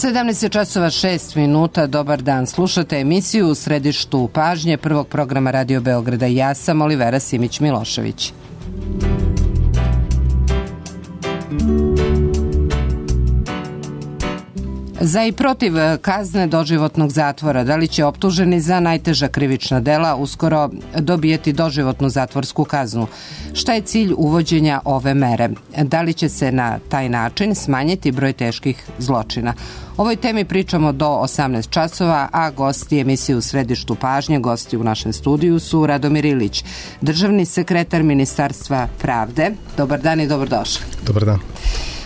17 časova 6 minuta, dobar dan. Slušate emisiju u središtu pažnje prvog programa Radio Beograda. Ja sam Olivera Simić-Milošević. Za i protiv kazne doživotnog zatvora, da li će optuženi za najteža krivična dela uskoro dobijeti doživotnu zatvorsku kaznu? Šta je cilj uvođenja ove mere? Da li će se na taj način smanjiti broj teških zločina? O ovoj temi pričamo do 18 časova, a gosti emisije u središtu pažnje, gosti u našem studiju su Radomir Ilić, državni sekretar Ministarstva pravde. Dobar dan i dobrodošli. Dobar dan.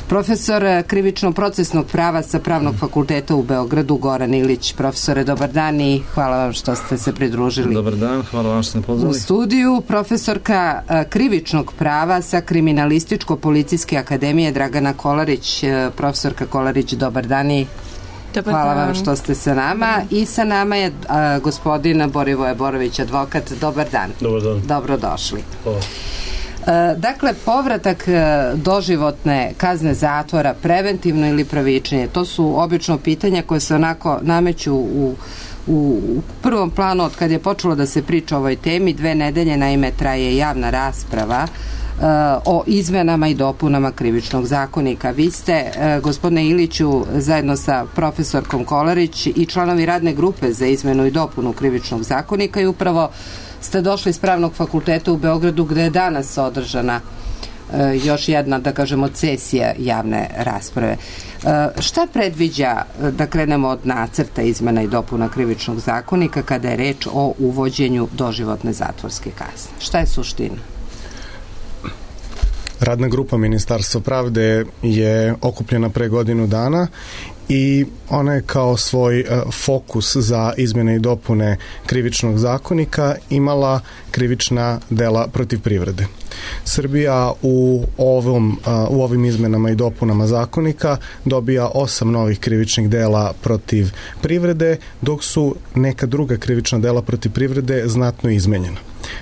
Profesor krivično-procesnog prava sa Pravnog fakulteta u Beogradu, Goran Ilić. Profesore, dobar dan i hvala vam što ste se pridružili. Dobar dan, hvala vam što ste pozvali. U studiju profesorka krivičnog prava sa Kriminalističko-policijske akademije Dragana Kolarić. Profesorka Kolarić, dobar dan i hvala vam što ste sa nama. I sa nama je gospodin Borivoje Borović, advokat. Dobar dan. Dobar dan. Dobrodošli. Hvala. Dakle, povratak doživotne kazne zatvora, preventivno ili pravičnije, to su obično pitanja koje se onako nameću u prvom planu od kad je počelo da se priča o ovoj temi. 2 nedelje, naime, traje javna rasprava o izmenama i dopunama krivičnog zakonika. Vi ste, gospodine Iliću, zajedno sa profesorkom Kolarić i članovi radne grupe za izmenu i dopunu krivičnog zakonika i upravo ste došli iz Pravnog fakulteta u Beogradu gde je danas održana još jedna, da kažemo, sesija javne rasprave. Šta predviđa, da krenemo od nacrta izmena i dopuna krivičnog zakonika kada je reč o uvođenju doživotne zatvorske kazne? Šta je suština? Radna grupa Ministarstva pravde je okupljena pre godinu dana i ona je kao svoj fokus za izmjene i dopune krivičnog zakonika imala krivična dela protiv privrede. Srbija u ovim izmenama i dopunama zakonika dobija 8 novih krivičnih dela protiv privrede, dok su neka druga krivična dela protiv privrede znatno izmenjena.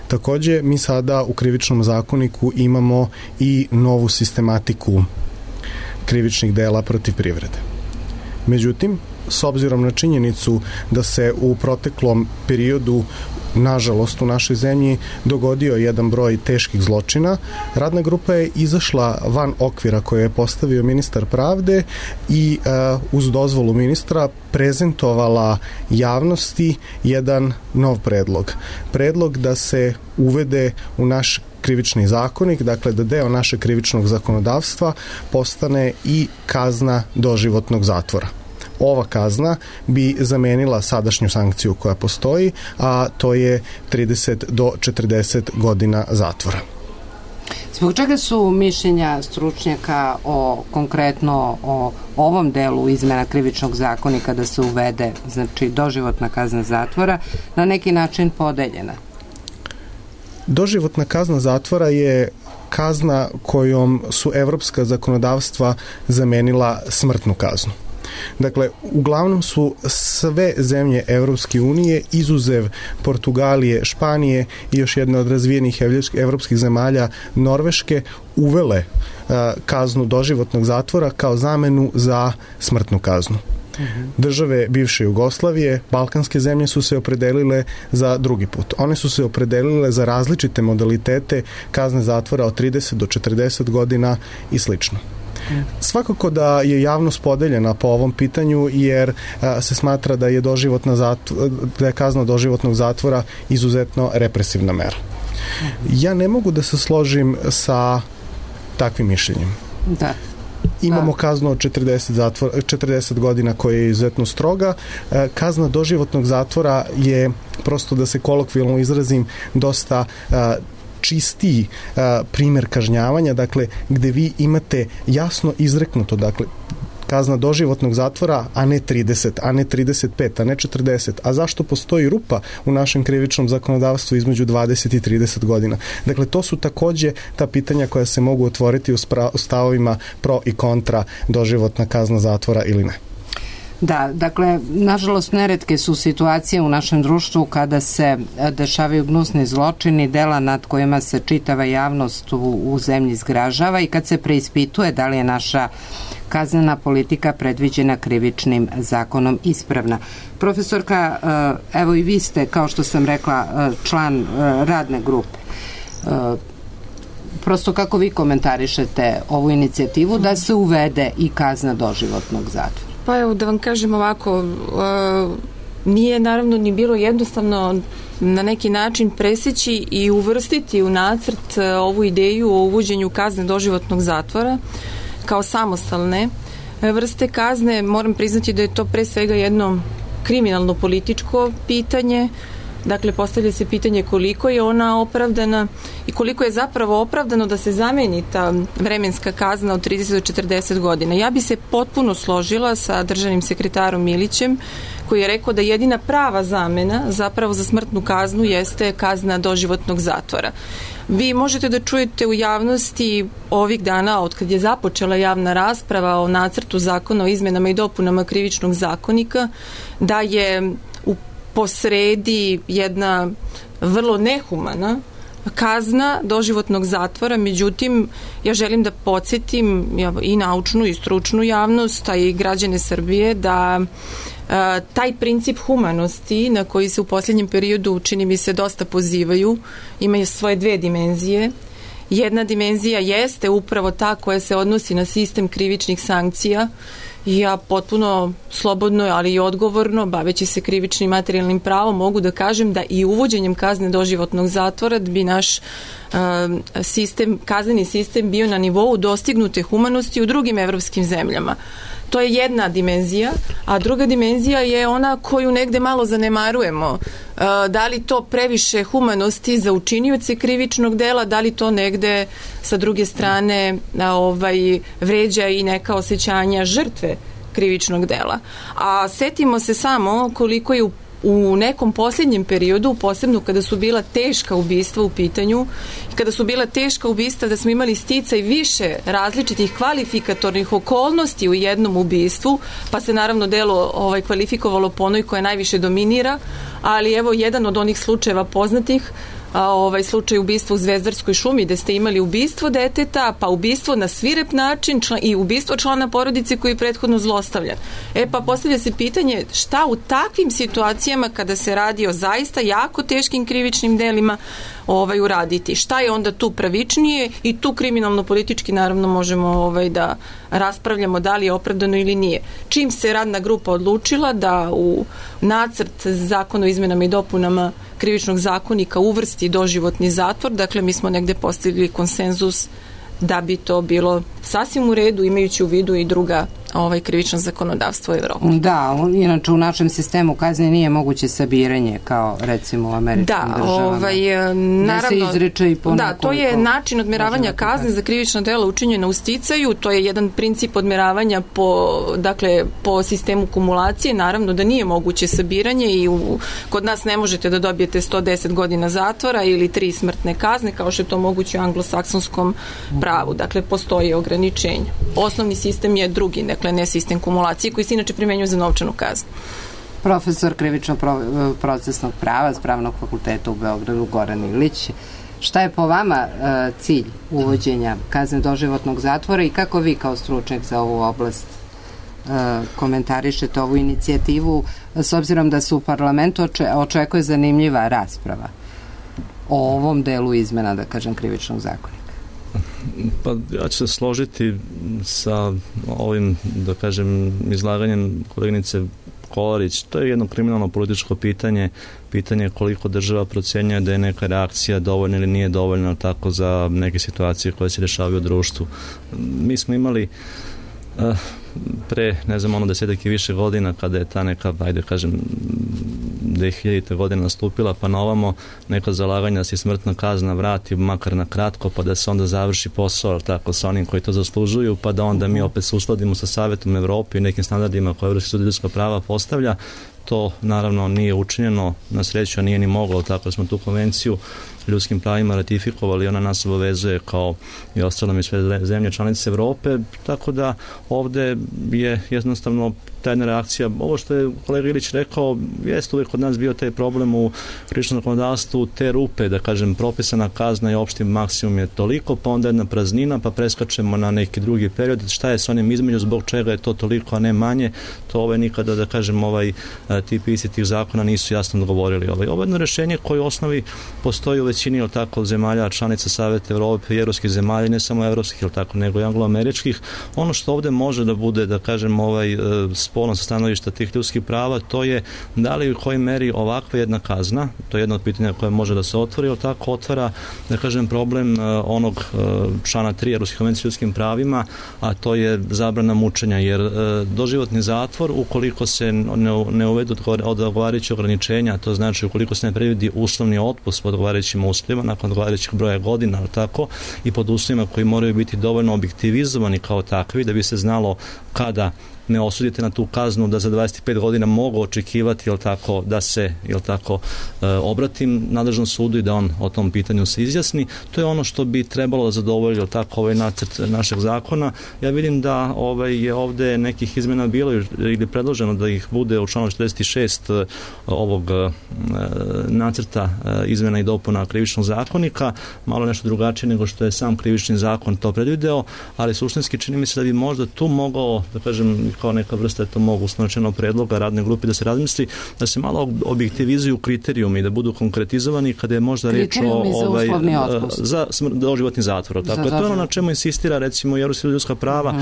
Takođe, mi sada u krivičnom zakoniku imamo i novu sistematiku krivičnih dela protiv privrede. Međutim, s obzirom na činjenicu da se u proteklom periodu, nažalost, u našoj zemlji dogodio jedan broj teških zločina, radna grupa je izašla van okvira koje je postavio ministar pravde i uz dozvolu ministra prezentovala javnosti jedan nov predlog. Predlog da se uvede u naš krivični zakonik, dakle da deo našeg krivičnog zakonodavstva postane i kazna doživotnog zatvora. Ova kazna bi zamenila sadašnju sankciju koja postoji, a to je 30 do 40 godina zatvora. Zbog čega su mišljenja stručnjaka konkretno o ovom delu izmena krivičnog zakonika da se uvede, znači doživotna kazna zatvora, na neki način podeljena? Doživotna kazna zatvora je kazna kojom su evropska zakonodavstva zamenila smrtnu kaznu. Dakle, uglavnom su sve zemlje Evropske unije, izuzev Portugalije, Španije i još jedne od razvijenih evropskih zemalja, Norveške, uvele kaznu doživotnog zatvora kao zamenu za smrtnu kaznu. Države bivše Jugoslavije, balkanske zemlje su se opredelile za drugi put. One su se opredelile za različite modalitete kazne zatvora od 30 do 40 godina i slično. Svakako da je javnost podeljena po ovom pitanju jer se smatra da je kazna doživotnog zatvora izuzetno represivna mera. Ja ne mogu da se složim sa takvim mišljenjem. Da. Imamo kaznu od 40 godina koja je izuzetno stroga. Kazna doživotnog zatvora je, prosto da se kolokvijalno izrazim, dosta čistiji primer kažnjavanja, dakle, gde vi imate jasno izreknuto, dakle, kazna doživotnog zatvora, a ne 30, a ne 35, a ne 40. A zašto postoji rupa u našem krivičnom zakonodavstvu između 20 i 30 godina? Dakle, to su takođe ta pitanja koja se mogu otvoriti u stavovima pro i kontra doživotna kazna zatvora ili ne. Da, dakle, nažalost, neretke su situacije u našem društvu kada se dešavaju gnusni zločini, dela nad kojima se čitava javnost u zemlji zgražava i kad se preispituje da li je naša kaznena politika predviđena Krivičnim zakonom ispravna. Profesorka, evo i vi ste, kao što sam rekla, član radne grupe. Prosto kako vi komentarišete ovu inicijativu da se uvede i kazna doživotnog zatvora? Pa evo da vam kažem ovako, nije naravno ni bilo jednostavno na neki način preseći i uvrstiti u nacrt ovu ideju o uvođenju kazne doživotnog zatvora kao samostalne vrste kazne. Moram priznati da je to pre svega jedno kriminalno političko pitanje. Dakle, postavlja se pitanje koliko je ona opravdana i koliko je zapravo opravdano da se zameni ta vremenska kazna od 30 do 40 godina. Ja bi se potpuno složila sa državnim sekretarom Milićem, koji je rekao da jedina prava zamena zapravo za smrtnu kaznu jeste kazna doživotnog zatvora. Vi možete da čujete u javnosti ovih dana, od kad je započela javna rasprava o nacrtu zakona o izmenama i dopunama Krivičnog zakonika, da je posredi jedna vrlo nehumana kazna doživotnog zatvora. Međutim, ja želim da podsjetim i naučnu i stručnu javnost, a i građane Srbije, da taj princip humanosti na koji se u posljednjem periodu, čini mi se, dosta pozivaju, ima svoje dve dimenzije. Jedna dimenzija jeste upravo ta koja se odnosi na sistem krivičnih sankcija. Ja potpuno slobodno, ali i odgovorno, baveći se krivičnim materijalnim pravom, mogu da kažem da i uvođenjem kazne doživotnog zatvora bi naš kazneni sistem bio na nivou dostignute humanosti u drugim evropskim zemljama. To je jedna dimenzija, a druga dimenzija je ona koju negde malo zanemarujemo. Da li to previše humanosti za učinioce krivičnog dela, da li to negde sa druge strane vređa i neka osjećanja žrtve krivičnog dela. A setimo se samo koliko je u nekom posljednjem periodu, posebno kada su bila teška ubistva u pitanju, kada su bila teška ubistva da smo imali sticaj više različitih kvalifikatornih okolnosti u jednom ubistvu, pa se naravno delo kvalifikovalo po onoj koja najviše dominira, ali evo jedan od onih slučajeva poznatih, slučaj ubistva u Zvezdarskoj šumi, gde ste imali ubistvo deteta, pa ubistvo na svirep način i ubistvo člana porodice koji je prethodno zlostavljan. Pa postavlja se pitanje šta u takvim situacijama kada se radi o zaista jako teškim krivičnim delima uraditi. Šta je onda tu pravičnije i tu kriminalno-politički naravno možemo da raspravljamo da li je opravdano ili nije. Čim se radna grupa odlučila da u nacrt zakona o izmenama i dopunama Krivičnog zakonika uvrsti doživotni zatvor, dakle mi smo negde postigli konsenzus da bi to bilo sasvim u redu, imajući u vidu i druga krivično zakonodavstvo u Evropi. Da, inače u našem sistemu kazne nije moguće sabiranje kao recimo u američkim državama. Naravno, se izreče i ponako. Da, to je način odmeravanja kazne za krivično delo učinjeno u sticaju, to je jedan princip odmeravanja po sistemu kumulacije, naravno da nije moguće sabiranje i kod nas ne možete da dobijete 110 godina zatvora ili 3 smrtne kazne kao što je to moguće u anglosaksonskom pravu. Dakle, postoji ograničenja. Osnovni sistem je drugi, dakle ne sistem kumulacije koji se inače primenjuje za novčanu kaznu. Profesor krivično-procesnog prava s Pravnog fakulteta u Beogradu, Goran Ilić. Šta je po vama cilj uvođenja kazne doživotnog zatvora i kako vi kao stručnjak za ovu oblast komentarišete ovu inicijativu s obzirom da se u parlamentu očekuje zanimljiva rasprava o ovom delu izmena, da kažem, krivičnog zakonika? Pa ja ću se složiti sa ovim, da kažem, izlaganjem koleginice Kolarić. To je jedno kriminalno političko pitanje koliko država procenjuje da je neka reakcija dovoljna ili nije dovoljna tako za neke situacije koje se dešavaju u društvu. Mi smo imali pre, ne znam, 10 i više godina kada je ta neka, 2000. godina nastupila, pa na ovamo neka zalaganja da se smrtna kazna vrati makar na kratko, pa da se onda završi posao tako sa onim koji to zaslužuju, pa da onda mi opet se uskladimo sa Savetom Evrope i nekim standardima koje Evropski sud ljudska prava postavlja. To naravno nije učinjeno, na sreću nije ni moglo, tako smo tu konvenciju ljudskim pravima ratifikovali, ona nas obavezuje kao i ostalo i sve zemlje članice Evrope, tako da ovde je jednostavno ta jedna reakcija. Ovo što je kolega Ilić rekao, jeste uvijek kod nas bio taj problem u krivičnom zakonodavstvu, te rupe, da kažem, propisana kazna i opšti maksimum je toliko, pa onda jedna praznina, pa preskačemo na neki drugi period. Šta je s onim između, zbog čega je to toliko, a ne manje, to nikada, da kažem, ti pisci tih zakona nisu jasno odgovorili. Ovo je jedno rešenje koje u osnovi postoji u većini, ili tako, zemalja, članica Saveta Evrope i evropskih zemalja, ne samo evropskih, ili tako, nego i angloameričkih. Ono što ovde može da bude, da kažem, spolno sa stanovišta tih ljudskih prava, to je da li u kojoj meri ovakva jedna kazna, to je jedno od pitanja koje može da se otvori, ili tako otvara, da kažem, problem onog člana 3 Evropske konvencije o ljudskim pravima, a to je zabrana mučenja, jer doživotni zatvor, ukoliko se ne uvedu odgovarajuće ograničenja, to znači ukoliko se ne predvidi uslovni otpust pod odgovarajućim uslovima, nakon odgovarajućih broja godina, ali tako, i pod uslovima koji moraju biti dovoljno objektivizovani kao takvi, da bi se znalo kada ne osudite na tu kaznu da za 25 godina mogu očekivati, jel tako, da se, jel tako, obratim nadležnom sudu i da on o tom pitanju se izjasni. To je ono što bi trebalo da zadovolji, jel tako, ovaj nacrt našeg zakona. Ja vidim da je ovde nekih izmena bilo ili predloženo da ih bude u članu 46 ovog nacrta izmena i dopuna krivičnog zakonika, malo nešto drugačije nego što je sam krivični zakon to predvideo, ali suštinski čini mi se da bi možda tu mogao, da kažem, kao neka vrsta je to mogu uslovno predloga radne grupe da se razmisli, da se malo objektivizuju kriterijumi, da budu konkretizovani kada je možda reč o za doživotni zatvor. Tako je to ono na čemu insistira recimo i Evropska ljudska prava,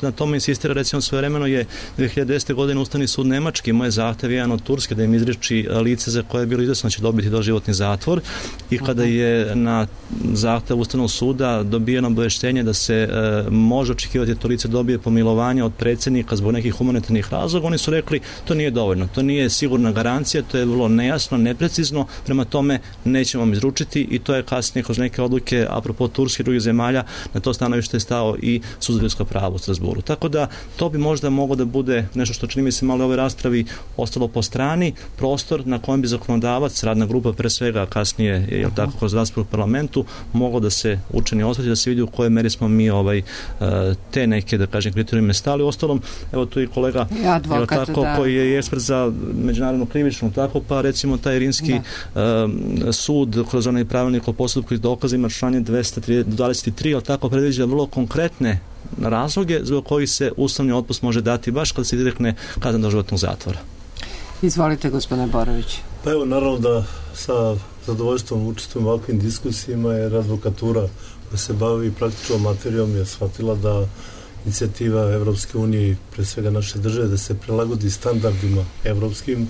na tome insistira recimo svojevremeno je 2010. godine Ustavni sud Nemački, moj zahtev jedan od Turske da im izreči lice za koje je bilo izvesno da će dobiti doživotni zatvor i kada je na zahtev Ustavnog suda dobijeno obaveštenje da se može očekivati da to lice dobije pomilovanje od predsjednika zbog nekih humanitarnih razloga, oni su rekli to nije dovoljno, to nije sigurna garancija, to je vrlo nejasno, neprecizno, prema tome nećemo vam izručiti i to je kasnije kroz neke odluke apropo Turske i drugih zemalja na to stanovište je stao i Sud za ljudska prava u Strasburu. Tako da to bi možda moglo da bude nešto što čini mi se malo u ovoj raspravi ostalo po strani, prostor na kojem bi zakonodavac, radna grupa pre svega kasnije, jel tako, kroz raspravu u parlamentu, moglo da se učini osveti, da se vidi u kojoj meri smo mi te neke, da kažem, kriterijume stali. Ostalom, evo tu i kolega advokat, tako, koji je ekspert za međunarodnu krivičnu, tako, pa recimo taj rimski sud kroz onaj pravilnik o postupku i dokazima članje 223, ali tako predviđa vrlo konkretne razloge zbog kojih se uslovni otpust može dati baš kada se izrekne kazna doživotnog zatvora. Izvolite, gospodine Borović. Pa evo, naravno da sa zadovoljstvom učestvujem u ovakvim diskusijama, jer advokatura koja se bavi praktičnom materijom je shvatila da inicijativa Evropske unije i pre svega naše države da se prilagodi standardima evropskim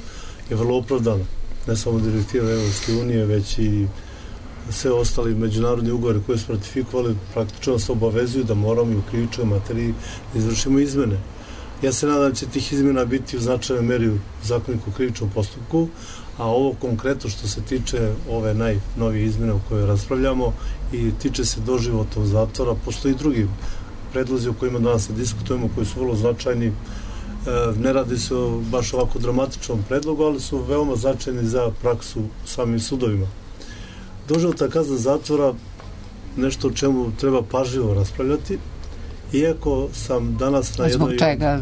je vrlo opravdana. Ne samo direktiva Evropske unije, već i sve ostali međunarodni ugovori koje smo ratifikovali praktično se obavezuju da moramo i u krivičnoj materiji da izvršimo izmene. Ja se nadam da će tih izmena biti u značajnoj meri u zakoniku o krivičnom postupku, a ovo konkretno što se tiče ove najnovije izmene o kojoj raspravljamo i tiče se doživotnog zatvora, postoji drugi predlozi o kojima danas diskutujemo, koji su vrlo značajni. Ne radi se o baš ovako dramatičnom predlogu, ali su veoma značajni za praksu u samim sudovima. Doživotna kazna zatvora nešto o čemu treba pažljivo raspravljati, iako sam danas na jednoj... Zbog čega?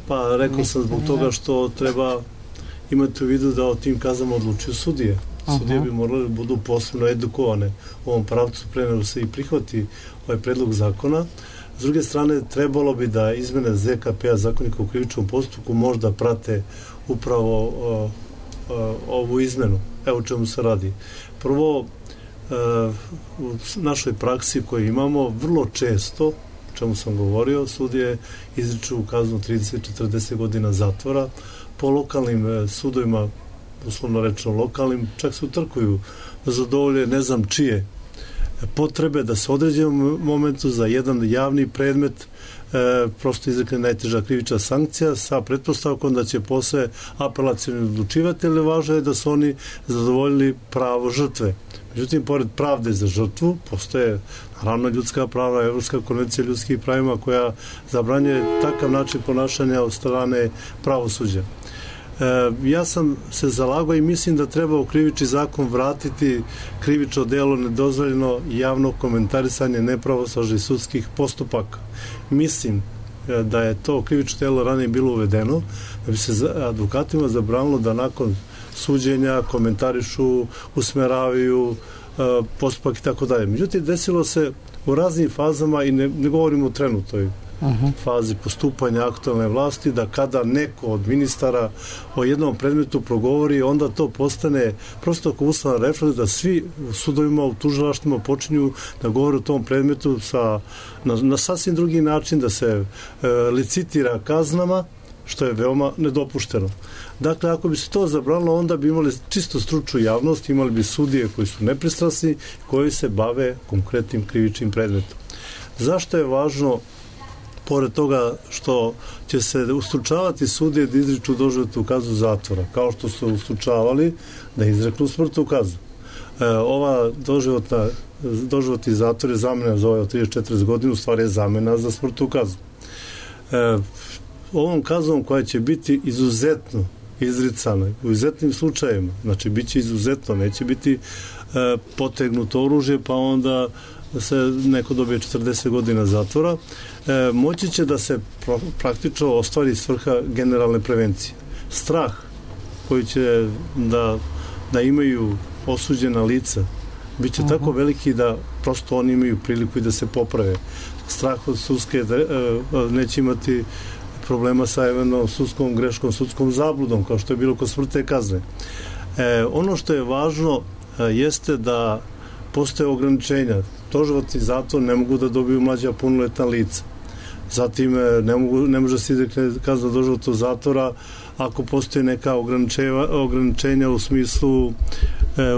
Pa rekao sam zbog toga što treba imati u vidu da o tim kaznama odlučuju sudije. Sudije bi morali da budu posebno edukovane u ovom pravcu pre nego se i prihvati ovaj predlog zakona. S druge strane, trebalo bi da izmene ZKP-a, zakonika u krivičnom postupku, možda prate upravo ovu izmenu. Evo čemu se radi. Prvo, u našoj praksi koju imamo, vrlo često, o čemu sam govorio, sudije izriču kaznu 30-40 godina zatvora. Po lokalnim sudovima, uslovno rečeno lokalnim, čak se utrkuju da zadovolje ne znam čije potrebe da se određenom momentu za jedan javni predmet prosto izrekne najteža krivična sankcija sa pretpostavkom da će posle apelacioni odlučivati, ali važno je da su oni zadovoljili pravo žrtve. Međutim, pored pravde za žrtvu, postoje naravno ljudska prava, Evropska konvencija o ljudskim pravima koja zabranjuje takav način ponašanja od strane pravosuđa. Ja sam se zalagao i mislim da treba u krivični zakon vratiti krivično delo nedozvoljeno javno komentarisanje nepravosnažnih sudskih postupaka. Mislim da je to krivično delo ranije bilo uvedeno, da bi se advokatima zabranilo da nakon suđenja komentarišu, usmeravaju postupak i tako dalje. Međutim, desilo se u raznim fazama i ne govorimo o trenutnoj fazi postupanja aktualne vlasti, da kada neko od ministara o jednom predmetu progovori, onda to postane prosto kao ustavna refleks da svi u sudovima, u tužilaštvima počinju da govore o tom predmetu na sasvim drugi način, da se licitira kaznama, što je veoma nedopušteno. Dakle, ako bi se to zabranilo, onda bi imali čisto stručnu javnost, imali bi sudije koji su nepristrasni, koji se bave konkretnim krivičnim predmetom. Zašto je važno, pored toga što će se ustručavati sudije da izriču doživotnu kaznu zatvora, kao što su ustručavali da izreknu smrtnu kaznu? Ova doživotni zatvor je zamena za od 34 godina, u stvari je zamena za smrtnu kaznu. Ovom kaznom koja će biti izuzetno izricana u izuzetnim slučajevima, znači bit će izuzetno, neće biti potegnuto oružje pa onda se neko dobije 40 godina zatvora, moći će da se praktično ostvari svrha generalne prevencije. Strah koji će da imaju osuđena lica bit će tako veliki da prosto oni imaju priliku i da se poprave. Strah od sudske neće imati problema sa eventualnom sudskom greškom, sudskom zabludom, kao što je bilo kod smrtne kazne. Ono što je važno jeste da postoje ograničenja. Doživotni zatvor ne mogu da dobiju mlađa punoletna lica. Zatim ne može se izrekne kazna doživotnog zatvora ako postoje neka ograničenja u smislu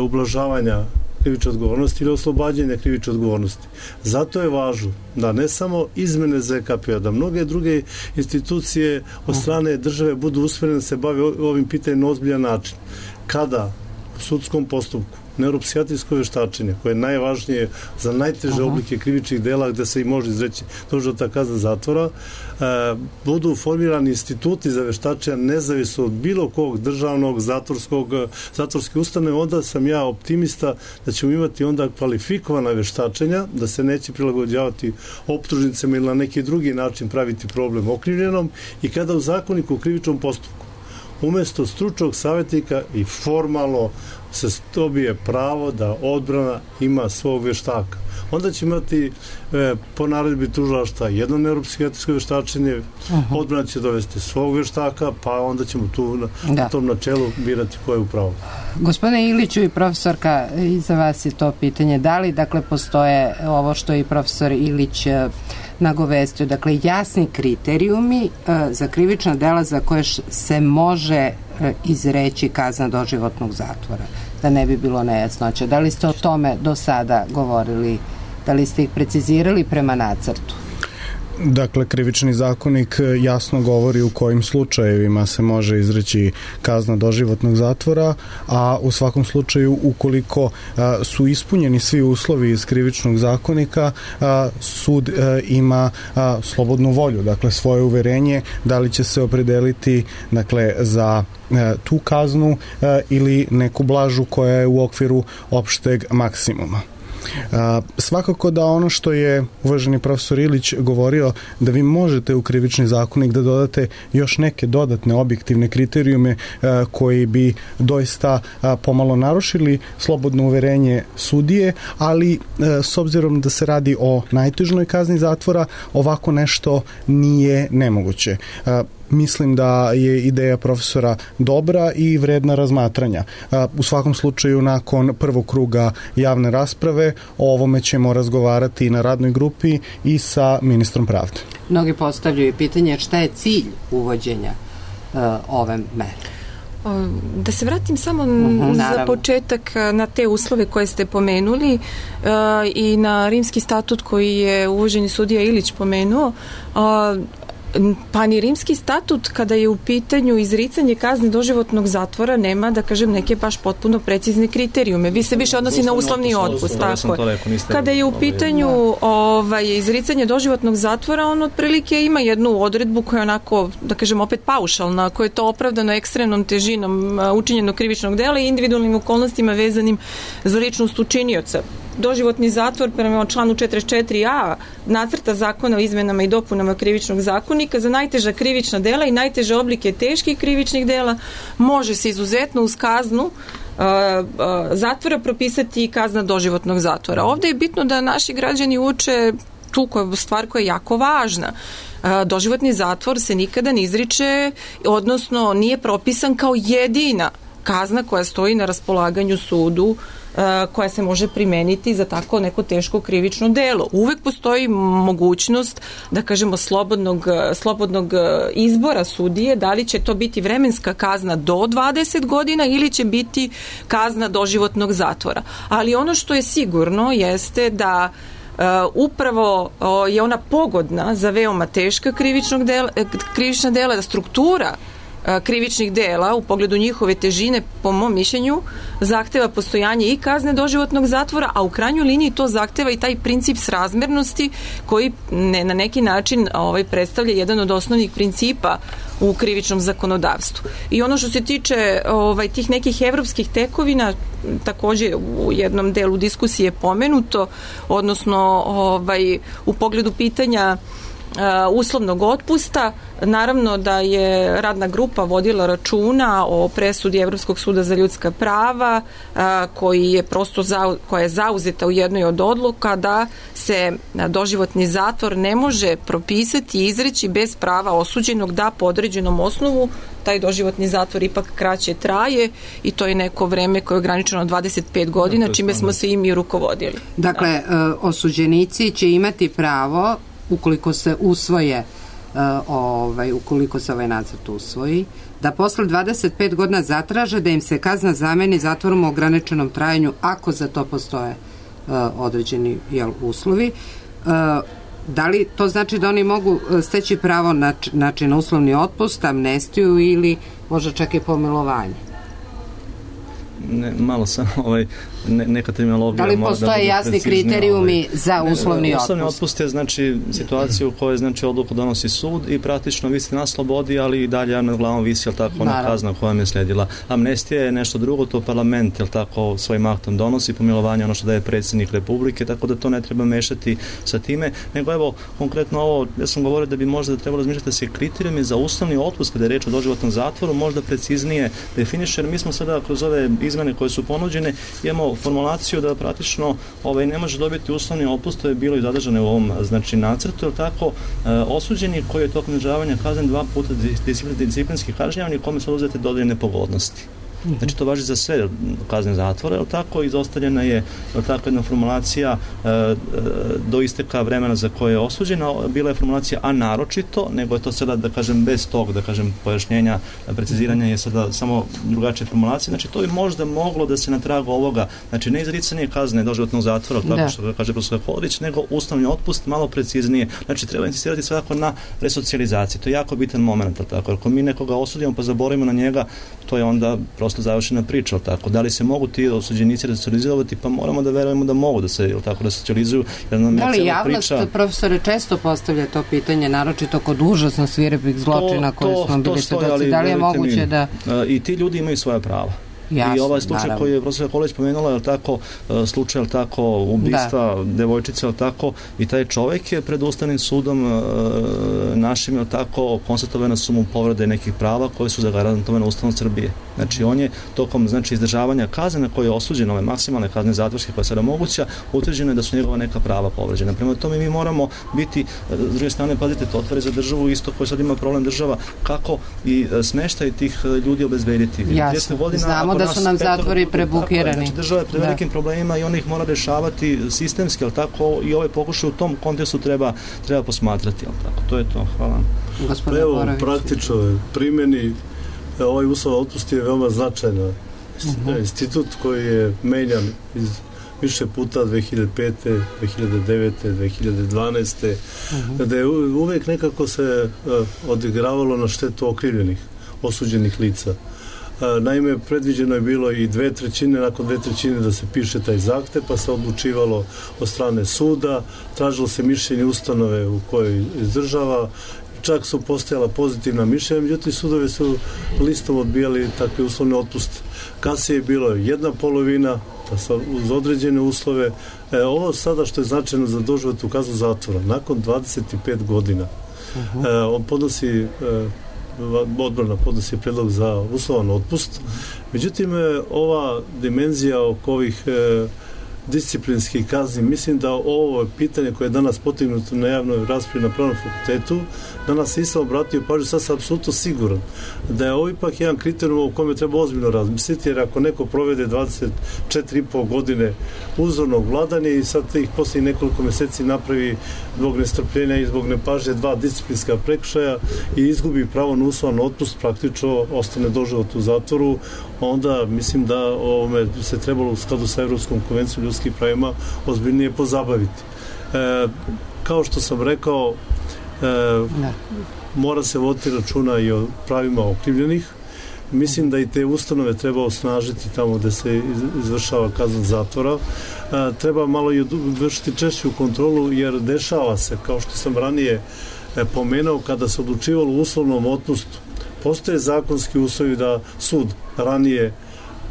ublažavanja krivične odgovornosti ili oslobađanja krivične odgovornosti. Zato je važno da ne samo izmene ZKP-a, da mnoge druge institucije od strane države budu usmjerene da se bave ovim pitanjem na ozbiljan način. Kada u sudskom postupku neuropsihijatrijsko veštačenje, koje je najvažnije za najteže oblike krivičnih dela gde se i može izreći doživotna kazna zatvora, budu formirani instituti za veštačenje nezavisno od bilo kog državnog zatvorske ustanove, onda sam ja optimista da ćemo imati onda kvalifikovana veštačenja, da se neće prilagođavati optužnicama ili na neki drugi način praviti problem okrivljenom, i kada u zakoniku o krivičnom postupku umesto stručnog savjetnika i formalno se dobije pravo da odbrana ima svog veštaka. Onda će imati po naredbi tužilaštva jedno neuropsihijatrijsko veštačenje, odbrana će dovesti svog veštaka, pa onda ćemo tu na tom načelu birati ko je u pravu. Gospodine Iliću i profesorka, i za vas je to pitanje, da li dakle postoje ovo što je i profesor Ilić nagovestio, dakle jasni kriterijumi za krivična dela za koje se može izreći kazna doživotnog zatvora, da ne bi bilo nejasnoća. Da li ste o tome do sada govorili, da li ste ih precizirali prema nacrtu? Dakle, krivični zakonik jasno govori u kojim slučajevima se može izreći kazna doživotnog zatvora, a u svakom slučaju ukoliko su ispunjeni svi uslovi iz krivičnog zakonika, sud ima slobodnu volju, dakle svoje uverenje da li će se opredeliti dakle za tu kaznu ili neku blažu koja je u okviru opšteg maksimuma. Svakako da ono što je uvaženi profesor Ilić govorio, da vi možete u krivični zakonik da dodate još neke dodatne objektivne kriterijume koji bi doista pomalo narušili slobodno uverenje sudije, ali s obzirom da se radi o najtežnoj kazni zatvora, ovako nešto nije nemoguće. Mislim da je ideja profesora dobra i vredna razmatranja. U svakom slučaju, nakon prvog kruga javne rasprave, o ovome ćemo razgovarati na radnoj grupi i sa ministrom pravde. Mnogi postavljaju pitanje šta je cilj uvođenja ove mere. Da se vratim samo za početak na te uslove koje ste pomenuli i na rimski statut koji je uvaženi sudija Ilić pomenuo. Pa ni rimski statut kada je u pitanju izricanje kazne doživotnog zatvora nema, da kažem, neke baš potpuno precizne kriterijume. Vi se više odnosi na uslovni otpust. Kada je u pitanju izricanje doživotnog zatvora, on otprilike ima jednu odredbu koja je onako, da kažem, opet paušalna, koja je to opravdano ekstremnom težinom učinjenog krivičnog dela i individualnim okolnostima vezanim za ličnost učinioca. Doživotni zatvor prema članu 44a nacrta zakona o izmenama i dopunama krivičnog zakonika za najteža krivična dela i najteže oblike teških krivičnih dela može se izuzetno uz kaznu zatvora propisati i kazna doživotnog zatvora. Ovde je bitno da naši građani uče tu stvar koja je jako važna. Doživotni zatvor se nikada ne izriče, odnosno nije propisan kao jedina kazna koja stoji na raspolaganju sudu koja se može primeniti za tako neko teško krivično delo. Uvek postoji mogućnost, da kažemo, slobodnog izbora sudije, da li će to biti vremenska kazna do 20 godina ili će biti kazna doživotnog zatvora. Ali ono što je sigurno jeste da upravo je ona pogodna za veoma teška krivična dela, da struktura krivičnih dela u pogledu njihove težine, po mom mišljenju, zahteva postojanje i kazne doživotnog zatvora, a u krajnjoj liniji to zahteva i taj princip srazmernosti koji na neki način predstavlja jedan od osnovnih principa u krivičnom zakonodavstvu. I ono što se tiče tih nekih evropskih tekovina, takođe u jednom delu diskusije je pomenuto, odnosno u pogledu pitanja uslovnog otpusta, naravno da je radna grupa vodila računa o presudi Evropskog suda za ljudska prava koja je zauzeta u jednoj od odluka da se doživotni zatvor ne može propisati i izreći bez prava osuđenog da po određenom osnovu taj doživotni zatvor ipak kraće traje i to je neko vreme koje je ograničeno 25 godina, čime smo se i mi rukovodili. Dakle, osuđenici će imati pravo, ukoliko se usvoje, ukoliko se ovaj nacrt usvoji, da posle 25 godina zatraže da im se kazna zameni zatvorom u ograničenom trajanju ako za to postoje određeni uslovi. Da li to znači da oni mogu steći pravo na uslovni otpust, amnestiju ili možda čak i pomilovanje? Malo sam neka terminologija. Da li postoje jasni kriterijumi za uslovni otpust? Uslovni otpust je znači situacija u kojoj znači odluku donosi sud i praktično vi ste na slobodi, ali i dalje nad glavom visi, jel tako, ona kazna koja vam je sledila. Amnestija je nešto drugo, to parlament, jel tako, svojim aktom donosi, pomilovanje ono što daje predsjednik Republike, tako da to ne treba mešati sa time, nego evo, konkretno ovo, ja sam govorio da bi možda trebalo razmišljati da se kriterijumi za uslovni otpust, kada je reč o doživotnom zatvoru, možda preciznije definiše, jer mi smo sada kroz ove izmene koje su ponuđene, imamo formulaciju da praktično ne može dobiti uslovni otpust, to je bilo i zadržano u ovom nacrtu, jer tako osuđeni koji je tokom izdržavanja kazne 2 puta disciplinski kažnjavan kome su oduzete dodane pogodnosti. Znači to važi za sve kazne zatvora, jel tako, izostavljena je tako jedna formulacija do isteka vremena za koje je osuđena, bila je formulacija a naročito, nego je to sada, da kažem, bez tog, da kažem, pojašnjenja, preciziranja je sada samo drugačije formulacije, znači to bi možda moglo da se na tragu ovoga, znači ne izricanje kazne doživotnog zatvora, tako što kaže profesor Kolarić, nego uslovni otpust malo preciznije, znači treba insistirati svakako na resocijalizaciji, to je jako bitan moment, tako, ako mi nekoga osudimo pa zaboravimo na njega, to je onda prosto završena priča, tako. Da li se mogu ti osuđenici resocijalizovati? Pa moramo da verujemo da mogu da se tako resocijalizuju. Da li javnost, profesore, često postavlja to pitanje, naročito kod užasno svirepih zločina koje smo bili svedoci. Da li je moguće da... I ti ljudi imaju svoja prava. Jasne, i ovaj slučaj naravno koji je profesor Kolarić pomenula, je tako, slučaj, je tako, ubistva devojčice, je tako, i taj čovjek je pred Ustavnim sudom našim, je tako, konstatovane su mu povrede nekih prava koje su zagarantovane Ustavom Srbije. Znači, on je tokom, znači, izdržavanja kazne na koje je osuđen, ove maksimalne kazne zatvorske koja je sada moguća, utvrđeno je da su njegova neka prava povređena. Prema tome mi moramo biti, s druge strane, pazite, to otvori za državu isto koji sad ima problem država, kako i smeštaj tih ljudi obezbediti. Jasno, znamo da su nam zatvori prebukirani. Znači, država je pred velikim problemima i on ih mora rešavati sistemski, ali tako, i ove pokušaje u tom kontekstu treba posmatrati, ali tako. To je to. Hvala. Evo, u praktičnoj primjeni ovaj uslov otpust je veoma značajna. Institut koji je menjan iz više puta 2005. 2009. 2012. Da je uvek nekako se odigravalo na štetu okrivljenih, osuđenih lica. Naime, predviđeno je bilo i 2/3, nakon 2/3 da se piše taj zahtev, pa se odlučivalo od strane suda, tražilo se mišljenje ustanove u kojoj izdržava, čak su postojala pozitivna mišljenja, međutim sudove su listom odbijali takve uslovne otpuste. Kasnije je bilo 1/2, pa uz određene uslove. Ovo sada što je značajno za doživotnu kaznu zatvora, nakon 25 godina, on podnosi odbrana podnosi predlog za uslovan otpust. Međutim, ova dimenzija oko ovih disciplinskih kazni, mislim da ovo pitanje koje je danas potegnuto na javnoj raspravi na Pravnom fakultetu, danas se isto obratio pažnju, sad sam apsolutno siguran da je ovo ipak jedan kriterijum o kome treba ozbiljno razmisliti, jer ako neko provede 24,5 godine uzornog vladanja i sad ih poslije nekoliko meseci napravi zbog nestrpljenja i zbog nepažnje 2 disciplinska prekršaja i izgubi pravo na uslovan otpust, praktično ostane doživotno u zatvoru, onda mislim da ovome se trebalo u skladu sa Evropskom konvencijom ljudskim pravima ozbiljnije pozabaviti. Kao što sam rekao, mora se voditi računa i o pravima okrivljenih. Mislim da i te ustanove treba osnažiti tamo gde se izvršava kazna zatvora. Treba malo i vršiti češću kontrolu, jer dešava se, kao što sam ranije pomenuo, kada se odlučivalo u uslovnom otpustu, postoje zakonski uslovi da sud ranije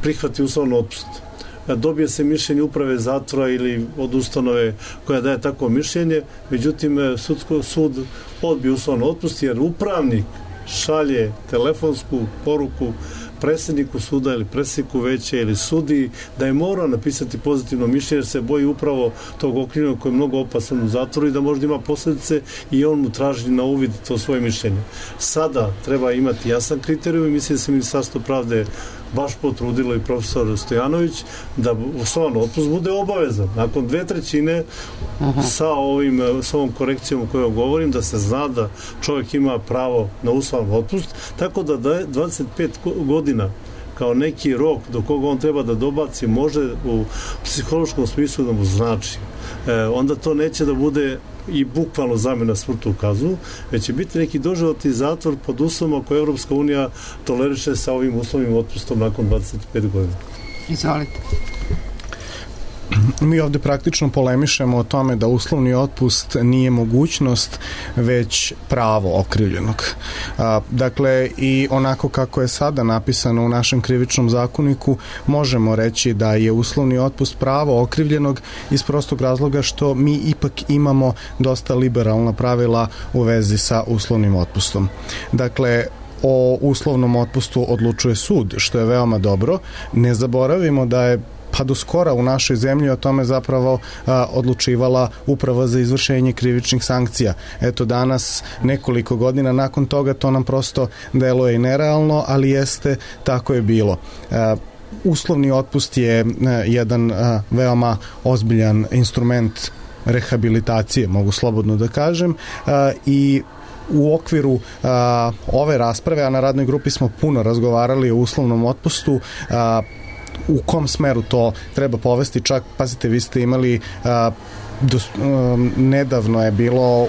prihvati uslovan otpust. Dobije se mišljenje uprave zatvora ili od ustanove koja daje takvo mišljenje, međutim sud odbije uslovan otpust jer upravnik šalje telefonsku poruku predsjedniku suda ili predsjedniku veća ili sudiji da je morao napisati pozitivno mišljenje jer se boji upravo tog okrivljenog koji je mnogo opasan u zatvoru i da možda ima posljedice i on mu traži na uvid to svoje mišljenje. Sada treba imati jasan kriterijum i mislim da se Ministarstvo pravde baš potrudilo i profesor Stojanović da uslovan otpust bude obavezan. Nakon 2/3 sa ovom korekcijom o kojoj govorim, da se zna da čovjek ima pravo na uslovan otpust, tako da 25 godina kao neki rok do koga on treba da dobaci može u psihološkom smislu da mu znači. Onda to neće da bude i bukvalno zamena smrtnu kaznu, već će biti neki doživotni zatvor pod uslovima koje Evropska unija toleriše sa ovim uslovnim otpustom nakon 25 godina. Izvolite. Mi ovde praktično polemišemo o tome da uslovni otpust nije mogućnost, već pravo okrivljenog. Dakle, i onako kako je sada napisano u našem krivičnom zakoniku, možemo reći da je uslovni otpust pravo okrivljenog iz prostog razloga što mi ipak imamo dosta liberalna pravila u vezi sa uslovnim otpustom. Dakle, o uslovnom otpustu odlučuje sud, što je veoma dobro. Ne zaboravimo da je pa do skora u našoj zemlji o tome zapravo odlučivala Uprava za izvršenje krivičnih sankcija. Eto, danas, nekoliko godina nakon toga, to nam prosto deluje i nerealno, ali jeste, tako je bilo. Uslovni otpust je jedan veoma ozbiljan instrument rehabilitacije, mogu slobodno da kažem, i u okviru ove rasprave, a na radnoj grupi smo puno razgovarali o uslovnom otpustu, u kom smeru to treba povesti, čak, pazite, vi ste imali nedavno je bilo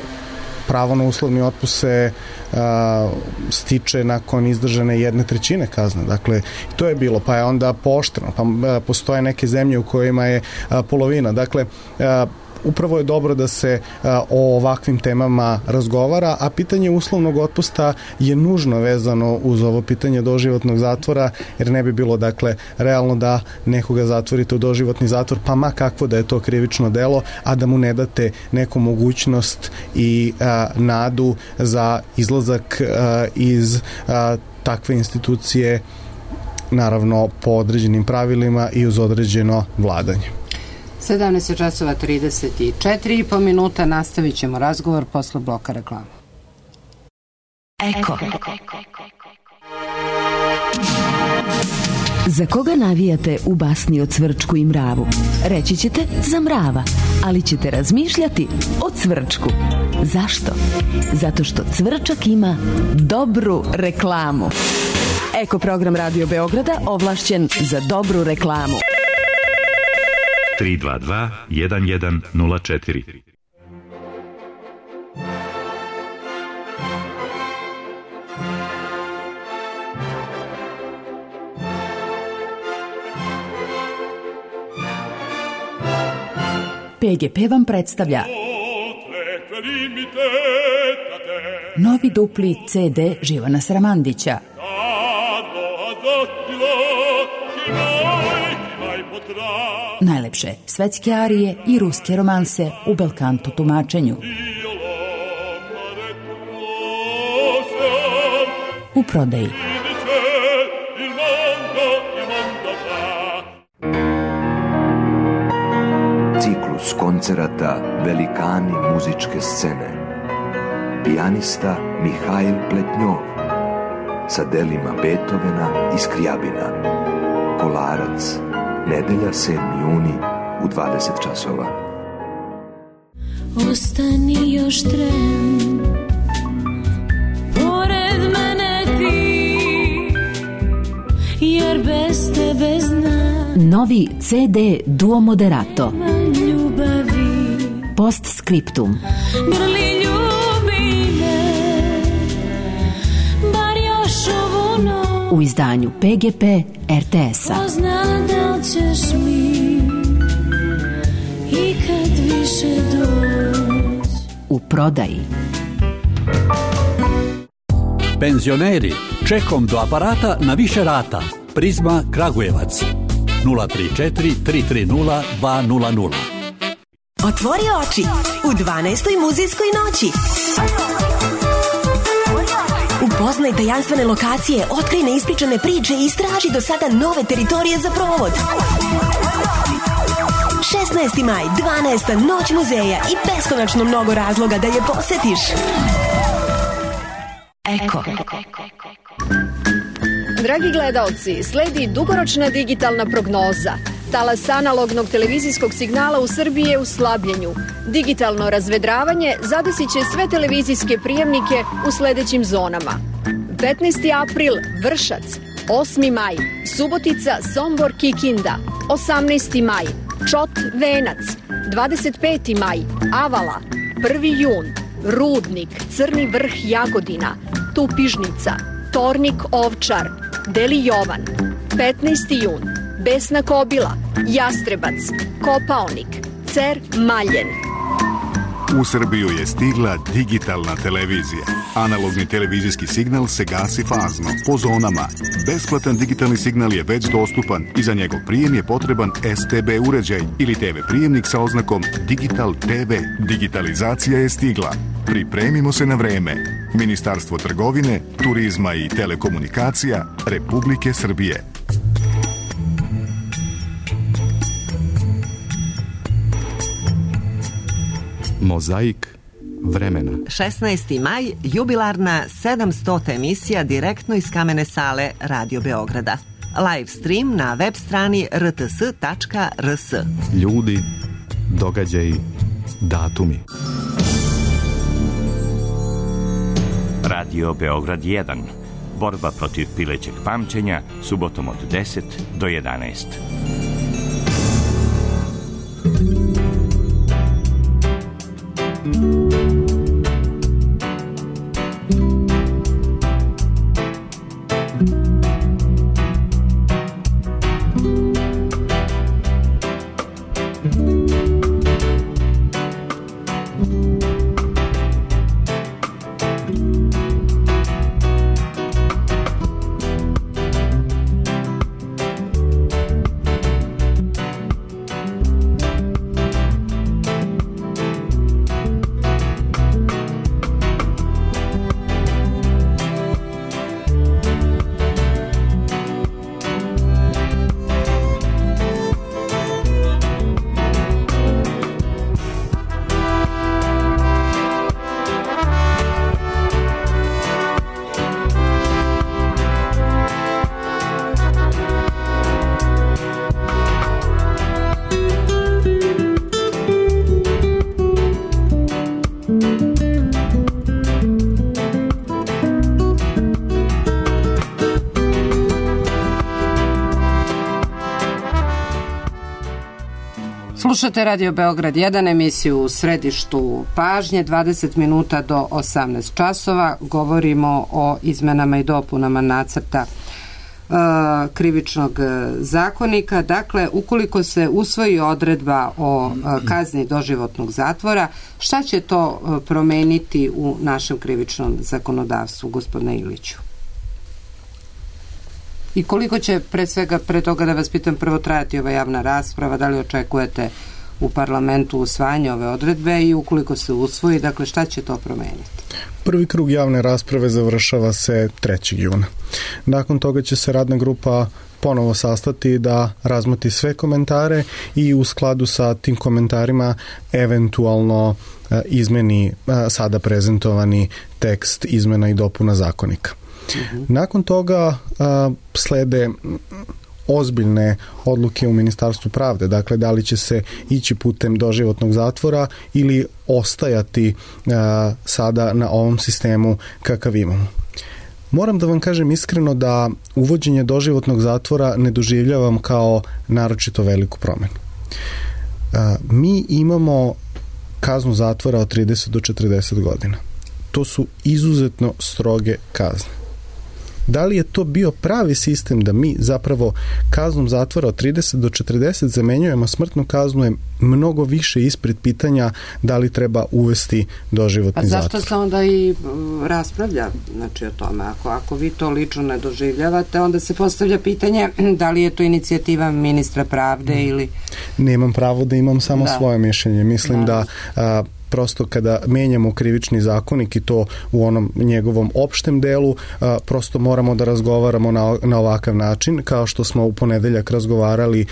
pravo na uslovni otpust se stiče nakon izdržane 1/3 kazne. Dakle, to je bilo, pa je onda pooštreno, pa postoje neke zemlje u kojima je polovina. Dakle, upravo je dobro da se o ovakvim temama razgovara, a pitanje uslovnog otpusta je nužno vezano uz ovo pitanje doživotnog zatvora, jer ne bi bilo, dakle, realno da nekoga zatvorite u doživotni zatvor, pa ma kakvo da je to krivično delo, a da mu ne date neku mogućnost i nadu za izlazak iz takve institucije, naravno po određenim pravilima i uz određeno vladanje. 17:34 minuta, nastavit ćemo razgovor posle bloka reklama. Eko. Za koga navijate u basni o Cvrčku i mravu? Reći ćete za mrava, ali ćete razmišljati o Cvrčku. Zašto? Zato što Cvrčak ima dobru reklamu. Eko program Radio Beograda ovlašćen za dobru reklamu. 322 1104. PGP vam predstavlja novi dupli CD Živana Sramandića. Najlepše svetske arije i ruske romanse u belkanto tumačenju. U prodaji. Ciklus koncerata Velikani muzičke scene. Pijanista Mihail Pletnjov sa delima Beethovena i Skrijabina. Kolarac, nedelja 7. juni u 20 časova. Ostani još tren, pored mene ti, jer bez tebe znam. Novi CD Duo Moderato. Ljubavi. Postscriptum. Grli ljubi me, bar još ovu noć. U izdanju PGP RTS-a. Poznam da li ćeš mi ikad više doći. U prodaji. Penzioneri, čekom do aparata na više rata. Prizma Kragujevac 034 330 200. Otvori oči u 12. muzejskoj noći. Upoznaj tajanstvene lokacije, otkrij neispričane priče i istraži do sada nove teritorije za provod. 16. maj, 12. noć muzeja i beskonačno mnogo razloga da je posetiš. Eko. Dragi gledaoci, sledi dugoročna digitalna prognoza. Talas analognog televizijskog signala u Srbiji je u slabljenju. Digitalno razvedravanje zadesit će sve televizijske prijemnike u sledećim zonama. 15. april, Vršac. 8. maj, Subotica, Sombor, Kikinda. 18. maj, Čot, Venac. 25. maj, Avala. 1. jun, Rudnik, Crni vrh, Jagodina. Tupižnica, Tornik, Ovčar. Deli Jovan. 15. jun, Besna Kobila, Jastrebac, Kopaonik, Cer, Maljen. U Srbiju je stigla digitalna televizija. Analogni televizijski signal se gasi fazno, po zonama. Besplatan digitalni signal je već dostupan i za njegov prijem je potreban STB uređaj ili TV prijemnik sa oznakom Digital TV. Digitalizacija je stigla. Pripremimo se na vreme. Ministarstvo trgovine, turizma i telekomunikacija Republike Srbije. Mozaik vremena. 16. maj, jubilarna 700. emisija direktno iz kamene sale Radio Beograda. Live stream na web strani rts.rs. Ljudi, događaji, datumi. Radio Beograd 1. Borba protiv pilećeg pamćenja, subotom od 10 do 11. Slušate Radio Beograd 1, emisiju u središtu pažnje, 20 minuta do 18 časova. Govorimo o izmenama i dopunama nacrta krivičnog zakonika. Dakle, ukoliko se usvoji odredba o kazni doživotnog zatvora, šta će to promeniti u našem krivičnom zakonodavstvu, gospodine Iliću? I koliko će, pre toga da vas pitam, prvo trajati ova javna rasprava, da li očekujete u parlamentu usvajanje ove odredbe i ukoliko se usvoji, dakle šta će to promeniti? Prvi krug javne rasprave završava se 3. juna. Nakon toga će se radna grupa ponovo sastati da razmoti sve komentare i u skladu sa tim komentarima eventualno izmeni sada prezentovani tekst izmena i dopuna zakonika. Nakon toga slede ozbiljne odluke u Ministarstvu pravde, dakle da li će se ići putem doživotnog zatvora ili ostajati sada na ovom sistemu kakav imamo. Moram da vam kažem iskreno da uvođenje doživotnog zatvora ne doživljavam kao naročito veliku promenu. Mi imamo kaznu zatvora od 30 do 40 godina. To su izuzetno stroge kazne. Da li je to bio pravi sistem da mi zapravo kaznom zatvora od 30 do 40 zamenjujemo smrtnu kaznu je mnogo više ispred pitanja da li treba uvesti doživotni zatvor. A zašto se onda i raspravlja o tome? Ako vi to lično ne doživljavate, onda se postavlja pitanje da li je to inicijativa ministra pravde ili... Nemam pravo da imam samo svoje mišljenje. Mislim da prosto kada menjamo krivični zakonik i to u onom njegovom opštem delu, prosto moramo da razgovaramo na ovakav način, kao što smo u ponedeljak razgovarali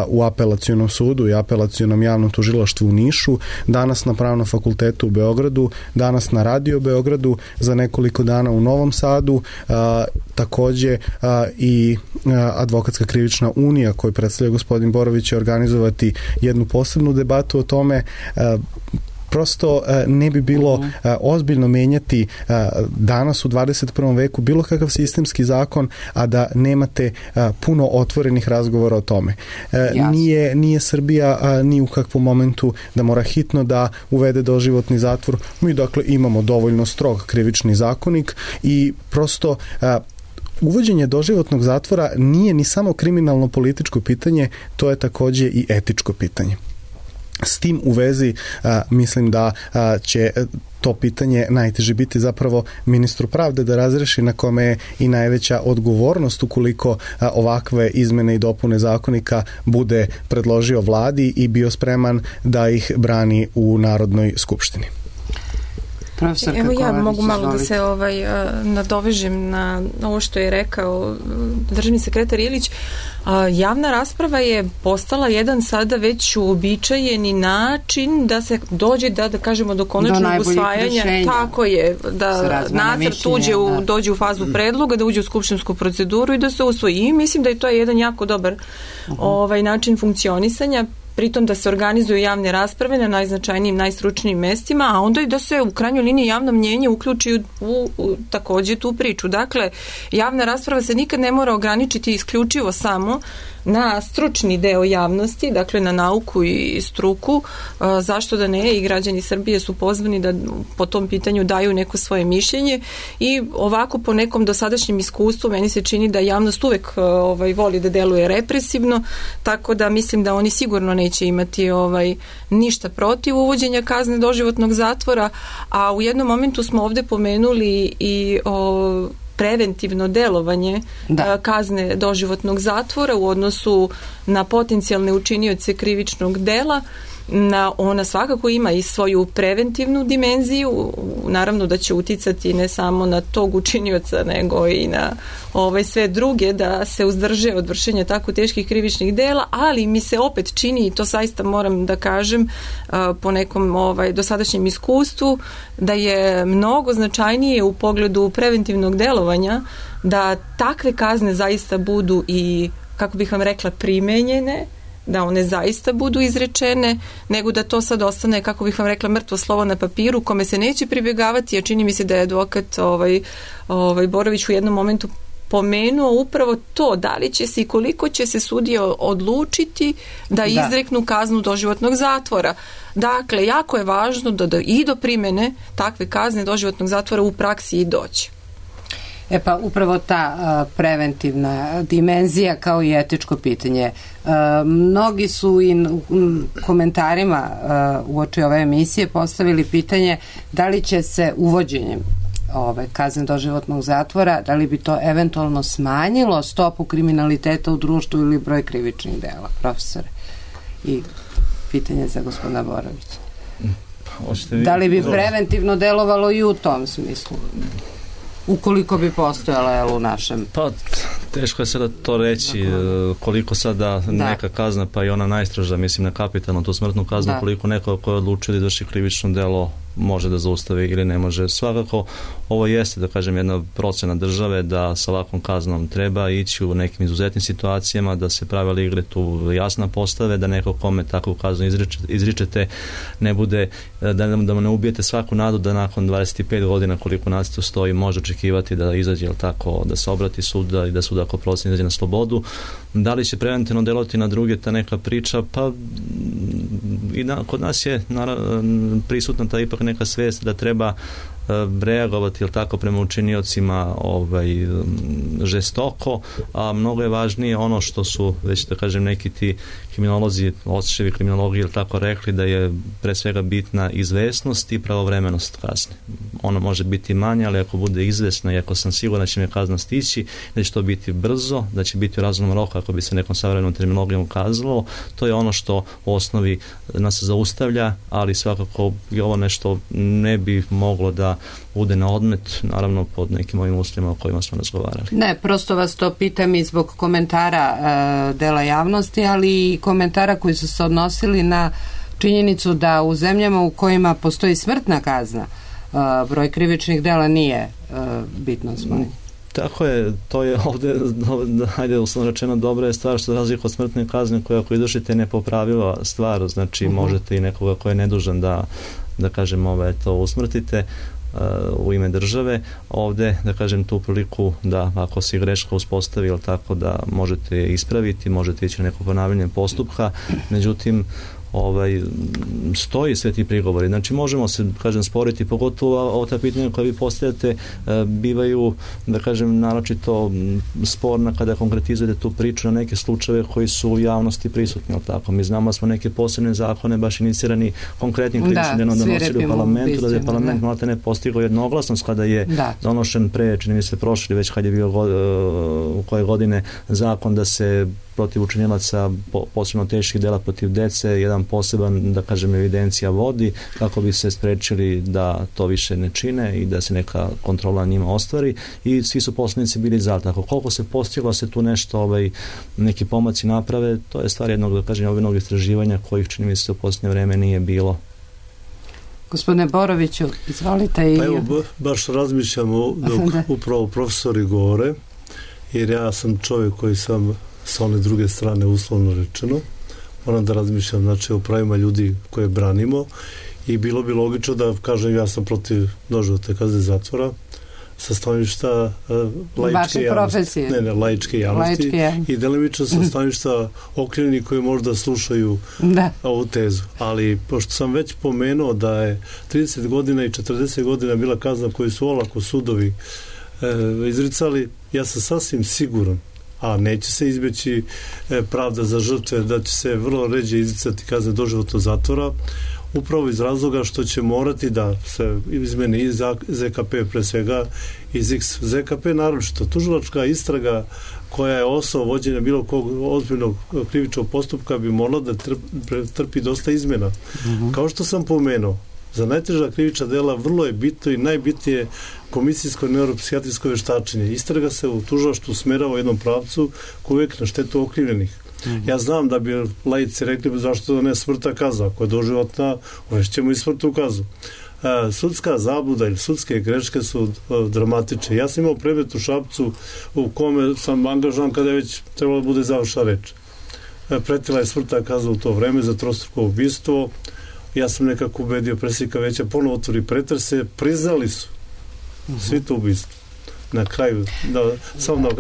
u Apelacionom sudu i Apelacionom javnom tužilaštvu u Nišu, danas na Pravnom fakultetu u Beogradu, danas na Radio Beogradu, za nekoliko dana u Novom Sadu, takođe i Advokatska krivična unija koju predstavlja gospodin Borović će organizovati jednu posebnu debatu o tome. Prosto ne bi bilo ozbiljno menjati danas u 21. veku bilo kakav sistemski zakon, a da nemate puno otvorenih razgovora o tome. Nije Srbija ni u kakvom momentu da mora hitno da uvede doživotni zatvor. Mi dakle imamo dovoljno strog krivični zakonik i prosto uvođenje doživotnog zatvora nije ni samo kriminalno političko pitanje, to je takođe i etičko pitanje. S tim u vezi mislim da će to pitanje najteže biti zapravo ministru pravde da razreši, na kome je i najveća odgovornost ukoliko ovakve izmene i dopune zakonika bude predložio vladi i bio spreman da ih brani u Narodnoj skupštini. Evo ja mogu malo da se nadovežem na ovo što je rekao državni sekretar Ilić. Javna rasprava je postala jedan sada već uobičajeni način da se dođe da kažemo do konačnog usvajanja. Tako je, da nacrt dođe u fazu predloga, da uđe u skupštinsku proceduru i da se usvoji. I mislim da je to jedan jako dobar način funkcionisanja. Pritom da se organizuju javne rasprave na najznačajnijim, najstručnijim mestima, a onda i da se u krajnjoj liniji javno mnjenje uključi u takođe tu priču. Dakle, javna rasprava se nikad ne mora ograničiti isključivo samo na stručni deo javnosti, dakle na nauku i struku, zašto da ne, i građani Srbije su pozvani da po tom pitanju daju neko svoje mišljenje i ovako po nekom dosadašnjem iskustvu meni se čini da javnost uvek voli da deluje represivno, tako da mislim da oni sigurno neće imati ništa protiv uvođenja kazne doživotnog zatvora, a u jednom momentu smo ovde pomenuli i preventivno delovanje kazne doživotnog zatvora u odnosu na potencijalne učinioce krivičnog dela. Ona svakako ima i svoju preventivnu dimenziju, naravno da će uticati ne samo na tog učinioca nego i na sve druge da se uzdrže od vršenja tako teških krivičnih dela, ali mi se opet čini, i to zaista moram da kažem po nekom dosadašnjem iskustvu, da je mnogo značajnije u pogledu preventivnog delovanja da takve kazne zaista budu i, kako bih vam rekla, primenjene, da one zaista budu izrečene, nego da to sad ostane, kako bih vam rekla, mrtvo slovo na papiru, kome se neće pribjegavati, a čini mi se da je advokat Borović u jednom momentu pomenuo upravo to, da li će se i koliko će se sudije odlučiti da izreknu kaznu doživotnog zatvora. Dakle, jako je važno da i do primene takve kazne doživotnog zatvora u praksi i doći. Pa upravo ta preventivna dimenzija kao i etičko pitanje. Mnogi su i komentarima uoči ove emisije postavili pitanje da li će se uvođenjem kazne doživotnog zatvora, da li bi to eventualno smanjilo stopu kriminaliteta u društvu ili broj krivičnih dela, profesore? I pitanje za gospodina Borovića. Da li bi preventivno delovalo i u tom smislu? Ukoliko bi postojala u našem... Pa, teško je sada to reći, koliko sada neka kazna, pa i ona najstroža, mislim na kapitalnu, tu smrtnu kaznu, koliko neko ko je odlučio da izvrši krivično delo može da zaustavi ili ne može. Svakako, ovo jeste, da kažem, jedna procena države da sa ovakvom kaznom treba ići u nekim izuzetnim situacijama, da se pravila igre tu jasna postave, da neko kome takvu kaznu izričete ne bude, da mu ne ubijete svaku nadu da nakon 25 godina koliko nacrtu stoji može očekivati da izađe, ili tako, da se obrati suda i da sud ako proceni izađe na slobodu. Da li će preventivno delovati na druge ta neka priča? Pa i kod nas je prisutna ta ipak neka svijest da treba reagovati, ili tako, prema učiniocima žestoko, a mnogo je važnije ono što su već, da kažem, neki ti kriminolozi, očevi kriminologi, ili tako, rekli, da je pre svega bitna izvesnost i pravovremenost kazne. Ono može biti manje, ali ako bude izvesno i ako sam siguran da će me kazna stići, da će to biti brzo, da će biti u razumnom roku, ako bi se nekom savremenom terminologijom kazalo, to je ono što u osnovi nas zaustavlja, ali svakako i ovo nešto ne bi moglo da bude na odmet, naravno pod nekim ovim uslovima o kojima smo razgovarali. Ne, prosto vas to pitam i zbog komentara dela javnosti, ali i komentara koji su se odnosili na činjenicu da u zemljama u kojima postoji smrtna kazna broj krivičnih dela nije bitno smanjen. Tako je, to je ovde, hajde uslovno rečeno, dobra je stvar što razlika od smrtne kazne koja ako izvršite nepopravljiva stvar, znači možete i nekoga ko je nedužan da kažem, to usmrtite u ime države. Ovde, da kažem, tu priliku da ako se greška uspostavi, ili tako, da možete ispraviti, možete ići na neko ponavljanje postupka, međutim stoji sve ti prigovori. Znači možemo se, kažem, sporiti, pogotovo ovo ta pitanja koja vi postavljate bivaju, da kažem, naročito sporna kada konkretizujete tu priču na neke slučajeve koji su u javnosti prisutni, ali tako. Mi znamo da smo neke posebne zakone baš inicirani konkretnim krivičnim delom donosili u parlamentu, da je parlament malo te ne postigao jednoglasnost kada je donošen pre, čini mi se prošli, već kad je bio u koje godine zakon da se protiv učinilaca posebno teških dela protiv dece jedan poseban, da kažem, evidencija vodi kako bi se sprečili da to više ne čine i da se neka kontrola njima ostvari, i svi su poslanici bili za. Tako koliko se postiglo se tu nešto, neki pomaci naprave, to je stvar jednog, da kažem, ovih istraživanja kojih, čini mi se, u posljednje vreme nije bilo. Gospodine Boroviću, izvolite. Pa evo, baš razmišljamo dok upravo profesori govore, jer ja sam čovjek koji sam sa one druge strane, uslovno rečeno, moram da razmišljam, znači, o pravima ljudi koje branimo, i bilo bi logično da kažem ja sam protiv doživotne kazne zatvora sa stanovišta laičke javnosti. Laičke javnosti i delimično sa stanovišta okrivljenih koji možda slušaju ovu tezu. Ali pošto sam već pomenuo da je 30 godina i 40 godina bila kazna koju su olako sudovi izricali, ja sam sasvim siguran, a neće se izbjeći pravda za žrtve, da će se vrlo ređe izricati kazne doživotnog zatvora, upravo iz razloga što će morati da se izmeni i ZKP, pre svega iz ZKP, naročito tužilačka istraga koja je osnov vođenja bilo kog ozbiljnog krivičnog postupka bi morala da trpi dosta izmena. Kao što sam pomenuo, za najteža krivična dela vrlo je bitno i najbitnije komisijsko neuropsihijatrijsko veštačenje. Istraga se u tužilaštvu usmerava u jednom pravcu koji je uvijek na štetu okrivljenih. Ja znam da bi laici rekli zašto ne smrtna kazna, ako je doživotna, uvešćemo i smrtnu kaznu. Sudska zabluda ili sudske greške su dramatične. Ja sam imao predmet u Šapcu u kome sam angažovan kada je već trebalo da bude završena reč. Pretila je smrtna kazna u to vreme za trostruko ubistvo. Ja sam nekako ubedio predsjednika veća, ponovo otvori pretrese, priznali su svi to ubistvo. na kraju,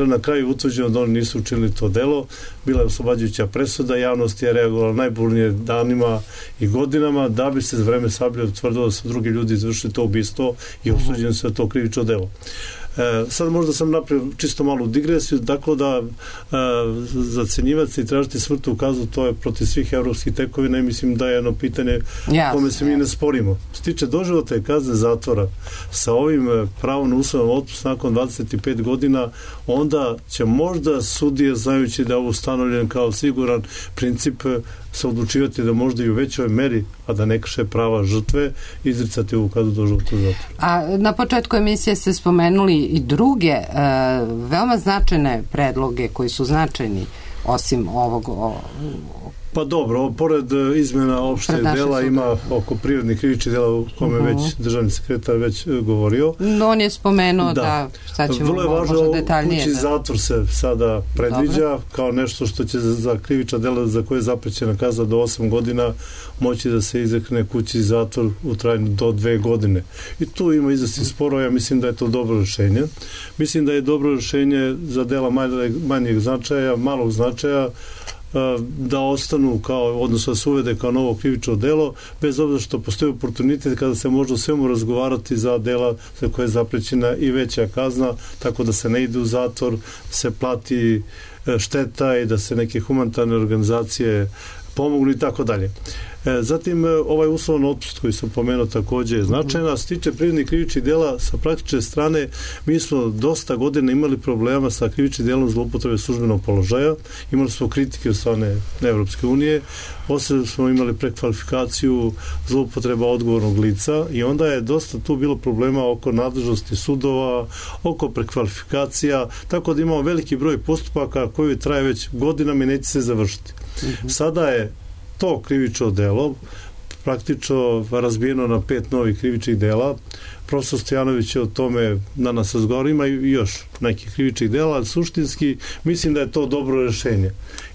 na kraju utvrđeno da oni nisu učinili to delo. Bila je oslobađajuća presuda, javnost je reagovala najburnije danima i godinama, da bi se za vreme Sablje utvrdilo da su drugi ljudi izvršili to ubistvo i osuđeno se to krivično delo. Sad možda sam napravio čisto malu digresiju, dakle da zacenjivati i tražiti smrtnu kaznu, to je protiv svih evropskih tekovina i mislim da je jedno pitanje kome se mi ne sporimo. Što tiče doživotne kazne zatvora sa ovim pravom na uslovan otpust nakon 25 godina, onda će možda sudije, znajući da je ovo ustanovljen kao siguran princip, se odlučivati da možda i u većoj meri, a da ne krše prava žrtve, izricati ovu kaznu doživotnog zatvora. A na početku emisije ste spomenuli i druge veoma značajne predloge koji su značajni osim ovog... Pa dobro, pored izmjena opšteg dela ima oko prirodnih krivičnih dela o kome već državni sekretar već govorio. No, on je spomenuo da sad ćemo vrlo je važno, možda detaljnije. Kući zatvor se sada predviđa kao nešto što će za krivična dela za koje je zaprećena kazna do 8 godina moći da se izrekne kući zatvor u trajanju do 2 godine. I tu ima izvesnih sporova, ja mislim da je to dobro rješenje. Mislim da je dobro rješenje za dela manjeg značaja, malog značaja, da ostanu kao, odnosno da se uvede kao novo krivično delo, bez obzira što postoji oportunitet kada se može o svemu razgovarati za dela za koje je zaprećena i veća kazna, tako da se ne ide u zatvor, se plati šteta i da se neke humanitarne organizacije pomognu i tako dalje. Zatim, ovaj uslovan otpust koji sam pomenuo također je značajna. S tiče prirodnih krivičnih dela, sa praktične strane, mi smo dosta godina imali problema sa krivičnim delom zloupotrebe službenog položaja. Imali smo kritike od strane Evropske unije. Posle smo imali prekvalifikaciju zloupotreba odgovornog lica i onda je dosta tu bilo problema oko nadležnosti sudova, oko prekvalifikacija, tako da imamo veliki broj postupaka koji traje već godinama i neće se završiti. Sada je to krivično delo praktično razbijeno na 5 novih krivičnih dela. Profesor Stojanović je o tome danas razgovarao, ima i još nekih krivičnih dela, ali suštinski mislim da je to dobro rješenje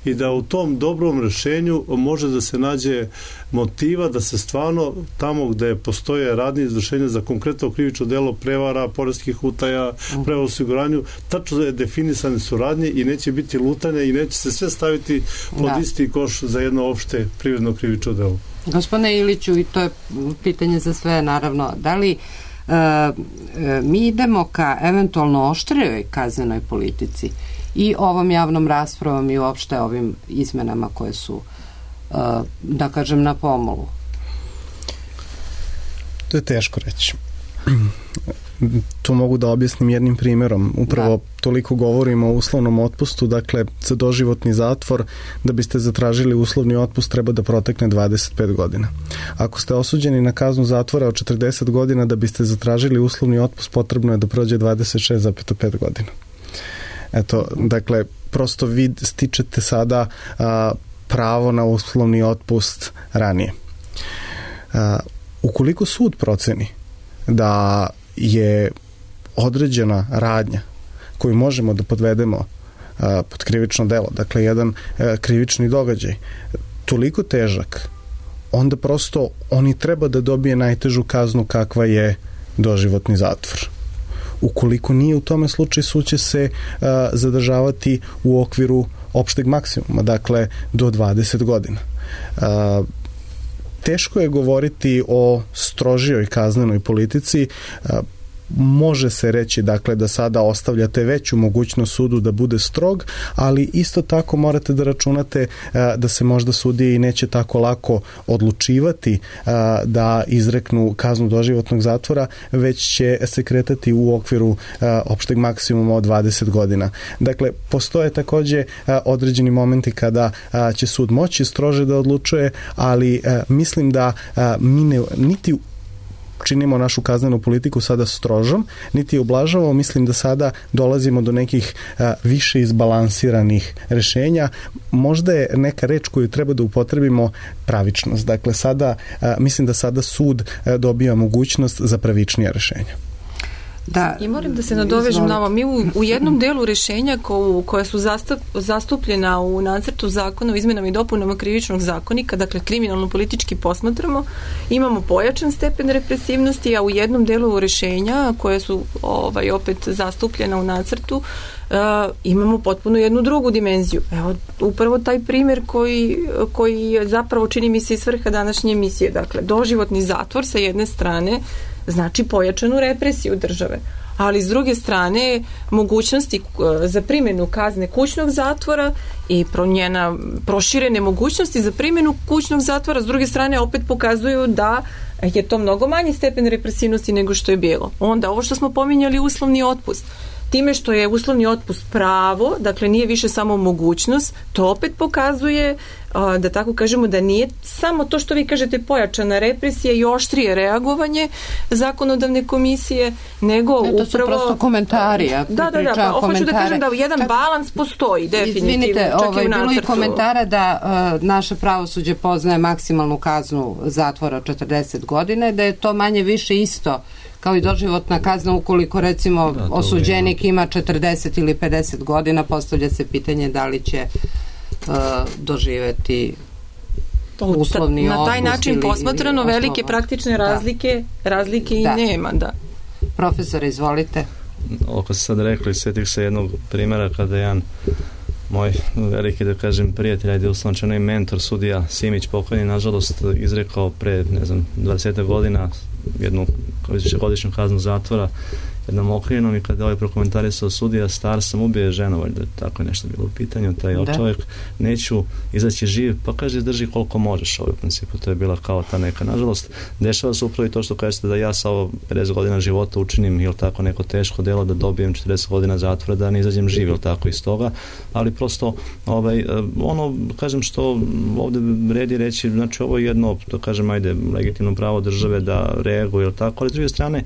i da u tom dobrom rješenju može da se nađe motiva da se stvarno tamo gde postoje radnje izvršenja za konkretno krivično delo prevara, poreskih utaja, prevara u osiguranju, tačno je definisane su radnje i neće biti lutanja i neće se sve staviti pod isti koš za jedno opšte privredno krivično delo. Gospodine Iliću, i to je pitanje za sve, naravno, da li mi idemo ka eventualno oštrijoj kaznenoj politici i ovom javnom raspravom i uopšte ovim izmenama koje su, da kažem, na pomolu? To je teško reći. To mogu da objasnim jednim primjerom. Upravo toliko govorimo o uslovnom otpustu, dakle za doživotni zatvor, da biste zatražili uslovni otpust treba da protekne 25 godina. Ako ste osuđeni na kaznu zatvora od 40 godina, da biste zatražili uslovni otpust potrebno je da prođe 26,5 godina. Eto, dakle, prosto vi stičete sada pravo na uslovni otpust ranije. Ukoliko sud proceni da je određena radnja koju možemo da podvedemo pod krivično delo, dakle jedan krivični događaj, toliko težak, onda prosto oni treba da dobije najtežu kaznu kakva je doživotni zatvor. Ukoliko nije u tome slučaju, sud će se zadržavati u okviru opšteg maksimuma, dakle do 20 godina. Teško je govoriti o strožijoj kaznenoj politici. Može se reći, dakle, da sada ostavljate veću mogućnost sudu da bude strog, ali isto tako morate da računate da se možda sudije i neće tako lako odlučivati da izreknu kaznu doživotnog zatvora, već će se kretati u okviru opšteg maksimuma od 20 godina. Dakle, postoje takođe određeni momenti kada će sud moći strože da odlučuje, ali mislim da mi niti činimo našu kaznenu politiku sada strožom, niti ublažavamo. Mislim da sada dolazimo do nekih više izbalansiranih rešenja. Možda je neka reč koju treba da upotrebimo pravičnost. Dakle, sada, mislim da sada sud dobija mogućnost za pravičnije rešenja. Da, I moram da se nadovežem na ovo. Mi u jednom delu rešenja koja su zastupljena u nacrtu zakona o izmenama i dopunama krivičnog zakonika, dakle kriminalno-politički posmatramo, imamo pojačan stepen represivnosti, a u jednom delu rešenja koje su opet zastupljena u nacrtu imamo potpuno jednu drugu dimenziju. Evo, upravo taj primjer koji je zapravo, čini mi se, i svrha današnje emisije. Dakle, doživotni zatvor sa jedne strane znači pojačanu represiju države, ali s druge strane mogućnosti za primjenu kazne kućnog zatvora i njena proširene mogućnosti za primjenu kućnog zatvora s druge strane opet pokazuju da je to mnogo manji stepen represivnosti nego što je bilo. Onda ovo što smo pominjali, uslovni otpust. Time što je uslovni otpust pravo, dakle nije više samo mogućnost, to opet pokazuje, da tako kažemo, da nije samo to što vi kažete pojačana represija i oštrije reagovanje zakonodavne komisije, nego upravo... To su prosto komentari. Da, pa hoću da kažem da jedan balans postoji, definitivno. Izvinite, bilo je komentara da naše pravosuđe poznaje maksimalnu kaznu zatvora od 40 godina i da je to manje više isto kao i doživotna kazna ukoliko recimo osuđenik ima 40 ili 50 godina, postavlja se pitanje da li će doživeti uslovni na taj način posmatrano velike praktične razlike i nema. Profesor, izvolite. Oko se sad rekli, sjetih se jednog primjera kada jedan moj veliki, da kažem, prijatelj, ajde uslovno i mentor, sudija Simić pokojni, nažalost izrekao pre, 20 godina jednu godišnju kaznu zatvora jednom okrivljenom, i kada ovaj prokomentarisao sudija, star sam, ubije ženu, valjda tako je nešto bilo u pitanju, taj čovjek, neću izaći živ, pa kaže izdrži koliko možeš, u principu to je bila kao ta neka, nažalost dešava se upravo i to što kažete da ja sa ovo 50 godina života učinim ili tako neko teško delo, da dobijem 40 godina zatvora, da ne izađem živ ili tako iz toga, ali prosto ono, kažem, što ovdje vredi reći, znači ovo je jedno, to kažem, ajde, legitimno pravo države da reaguje ili tako, ali s druge strane,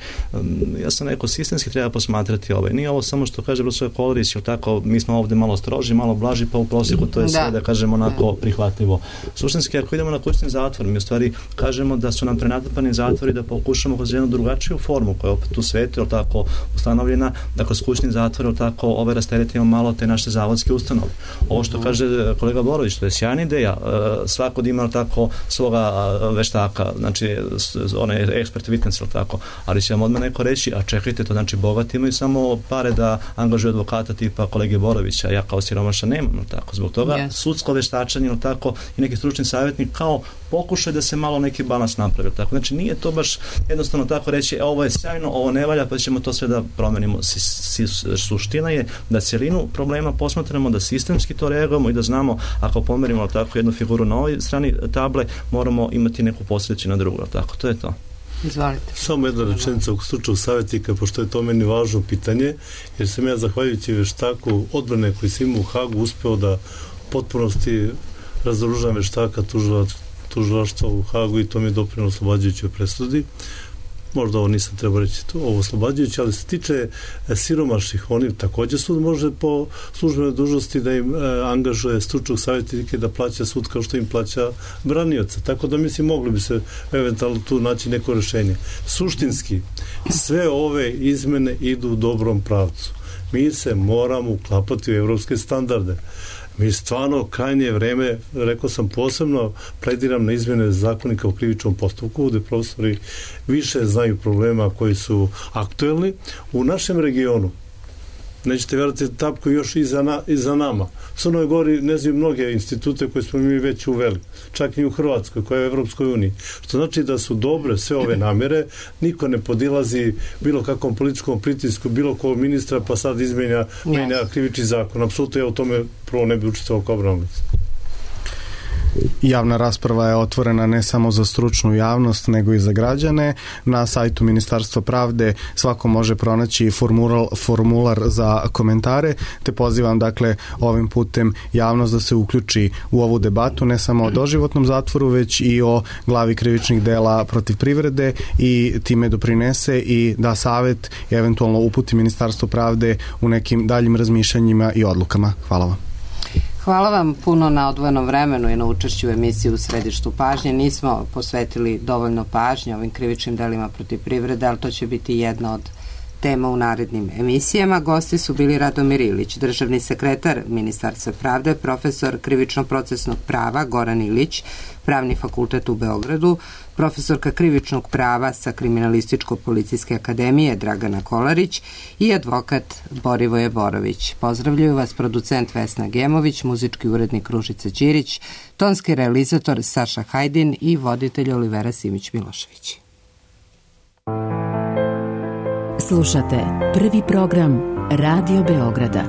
ja sam rekao, sistemski treba posmatrati nije ovo samo što kaže profesor Kolarić, ili tako, mi smo ovdje malo stroži, malo blaži, pa u prosjeku to je sve, da kažemo, onako prihvatljivo. Suštinski, ako idemo na kućni zatvor, mi u stvari kažemo da su nam prenatrpani zatvori, da pokušamo kroz jednu drugačiju formu koja je opet u svetu, ili tako, ustanovljena, da kroz kućni zatvor, ili tako, rasteretimo malo te naše zavodske ustanove. Ovo što kaže kolega Borović, to je sjajna ideja, svako da ima, ili tako, svoga veštaka, znači, onaj ekspert witness, ili tako, ali će vam odmah neko reći, a čekajte, to znači bogati imaju samo pare da angažuju advokata tipa kolege Borovića, ja kao siromaša nemam, tako. Zbog toga sudsko veštačenje, tako, i neki stručni savjetnik kao pokušaj da se malo neki balans napravi, tako. Znači nije to baš jednostavno tako reći ovo je sjajno, ovo ne valja, pa ćemo to sve da promenimo. Suština je da cjelinu problema posmatramo, da sistemski to reagujemo i da znamo, ako pomerimo tako jednu figuru na ovoj strani table, moramo imati neku posljedicu na drugu, tako. To je to. Izvalite. Samo jedna rečenica u stručnog savjetnika, pošto je to meni važno pitanje, jer sam ja, zahvaljujući veštaku odbrane koji sam imao u Hagu, uspeo da u potpunosti razoružam veštaka tužilaštva u Hagu, i to mi je doprinelo oslobađajućoj presudi. Možda ovo nisam trebao reći ovo oslobađajuće, ali se tiče siromašnih, oni također sud može po službenoj dužnosti da im angažuje stručnog savjetnika da plaća sud kao što im plaća branioca. Tako da mislim mogli bi se eventualno tu naći neko rješenje. Suštinski, sve ove izmene idu u dobrom pravcu. Mi se moramo uklapati u evropske standarde. Mi stvarno krajnje vreme, rekao sam, posebno plediram na izmjene zakonika u krivičnom postupku, gdje profesori više znaju problema koji su aktuelni. U našem regionu, nećete vjerati, tapku još iza nama. U Crnoj Gori ne znaju mnoge institute koje smo mi već uveli, čak i u Hrvatskoj, koja je u Evropskoj uniji. Što znači da su dobre sve ove namjere, niko ne podilazi bilo kakvom političkom pritisku, bilo kog ministra, pa sad izmenja krivični zakon. Apsolutno ja u tome prvo ne bi učestvovao kao branilac. Javna rasprava je otvorena ne samo za stručnu javnost, nego i za građane. Na sajtu Ministarstva pravde svako može pronaći formular za komentare, te pozivam dakle ovim putem javnost da se uključi u ovu debatu, ne samo o doživotnom zatvoru, već i o glavi krivičnih dela protiv privrede, i time doprinese i da savjet i eventualno uputi Ministarstvo pravde u nekim daljim razmišljanjima i odlukama. Hvala vam. Hvala vam puno na odvojenom vremenu i na učešću u emisiji U središtu pažnje. Nismo posvetili dovoljno pažnje ovim krivičnim delima protiv privrede, ali to će biti jedna od tema u narednim emisijama. Gosti su bili Radomir Ilić, državni sekretar Ministarstva pravde, profesor krivično-procesnog prava Goran Ilić, Pravni fakultet u Beogradu, profesorka krivičnog prava sa Kriminalističko-policijske akademije Dragana Kolarić i advokat Borivoje Borović. Pozdravljaju vas producent Vesna Gemović, muzički urednik Ružica Ćirić, tonski realizator Saša Hajdin i voditelj Olivera Simić-Milošević. Slušate prvi program Radio Beograda.